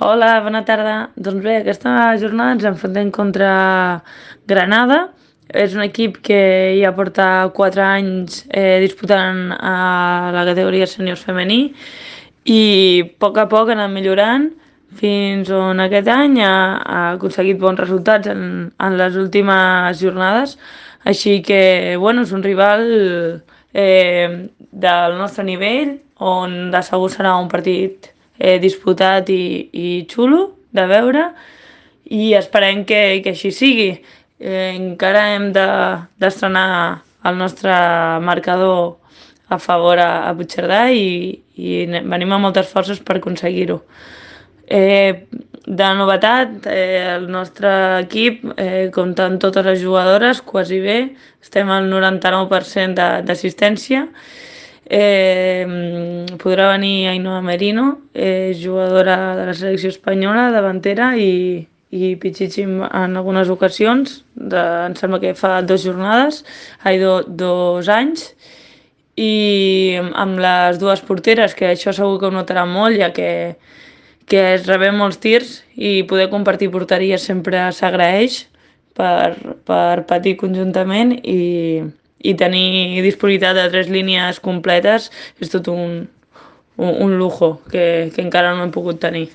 Hola, bona tarda. Doncs bé, aquesta jornada ens enfrontem contra Granada. És un equip que ja porta 4 anys disputant a la categoria sèniors femení i a poc ha anat millorant fins on aquest any ha aconseguit bons resultats en les últimes jornades. Així que, bueno, és un rival del nostre nivell, on de segur serà un partit disputat i xulo de veure i esperem que així sigui. Encara hem d'estrenar el nostre marcador a favor a Puigcerdà i venim amb moltes forces per aconseguir-ho. De novetat, el nostre equip compta amb totes les jugadores, quasi bé, estem al 99% d'assistència. Podrà venir Ainhoa Merino, jugadora de la selecció espanyola, davantera i Pichichi en algunes ocasions, em sembla que fa 2 jornades, 2 anys, i amb les dues porteres, que això segur que ho notarà molt, ja que es rebem molts tirs i poder compartir porteria sempre s'agraeix per patir conjuntament i tenir disponibilitat de 3 línies completes és tot un lujo que encara no hem pogut tenir.